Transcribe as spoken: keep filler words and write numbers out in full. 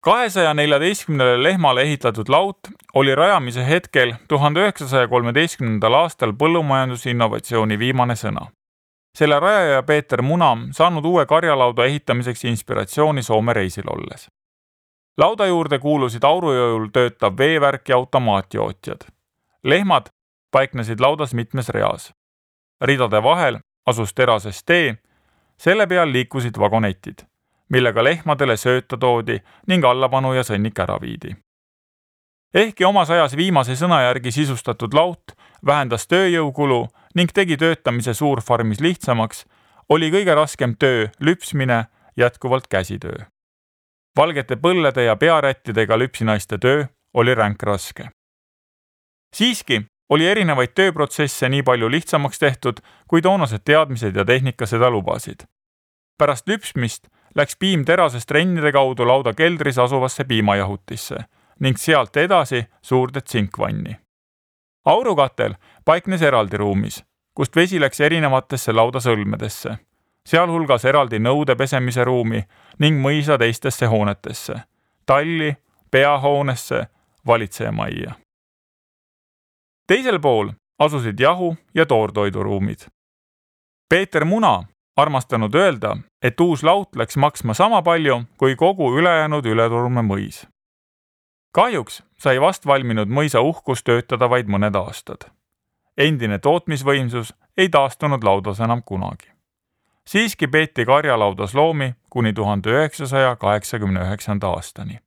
kahesaja neljateistkümnele lehmale ehitatud laut oli rajamise hetkel tuhande üheksasaja kolmeteistkümnendal aastal põllumajandusinnovatsiooni viimane sõna. Selle rajaja Peeter Muna saanud uue karjalauda ehitamiseks inspiratsiooni Soome reisil olles. Lauda juurde kuulusid aurujõul töötav veevärk ja automaatjootjad. Lehmad paiknesid laudas mitmes reas. Ridade vahel asus terasest tee, selle peal liikusid vagonetid, millega lehmadele sööta toodi ning allapanu ja sõnnik ära viidi. Ehkki omas ajas viimase sõna järgi sisustatud laut vähendas tööjõukulu ning tegi töötamise suurfarmis lihtsamaks, oli kõige raskem töö lüpsmine jätkuvalt käsitöö. Valgete põllede ja pearättidega lüpsinaiste töö oli ränk raske. Siiski oli erinevaid tööprotsesse nii palju lihtsamaks tehtud, kui toonased teadmised ja tehnika seda lubasid. Pärast lüpsmist läks piim terasest rennide kaudu lauda keldris asuvasse piimajahutisse ning sealt edasi suurde tsinkvanni. Aurukatel paiknes eraldi ruumis, kust vesi läks erinevatesse lauda sõlmedesse, sealhulgas eraldi nõude pesemise ruumi ning mõisa teistesse hoonetesse, talli, peahoonesse, valitsejamajja. Teisel pool asusid jahu- ja toortoiduruumid. Peeter Muna armastanud öelda, et uus laut läks maksma sama palju kui kogu ülejäänud Ületurme mõis. Kahjuks sai vast valminud mõisa uhkus töötada vaid mõned aastad. Endine tootmisvõimsus ei taastunud laudas enam kunagi. Siiski peeti karjalaudas loomi kuni tuhande üheksasaja kaheksakümne üheksanda aastani.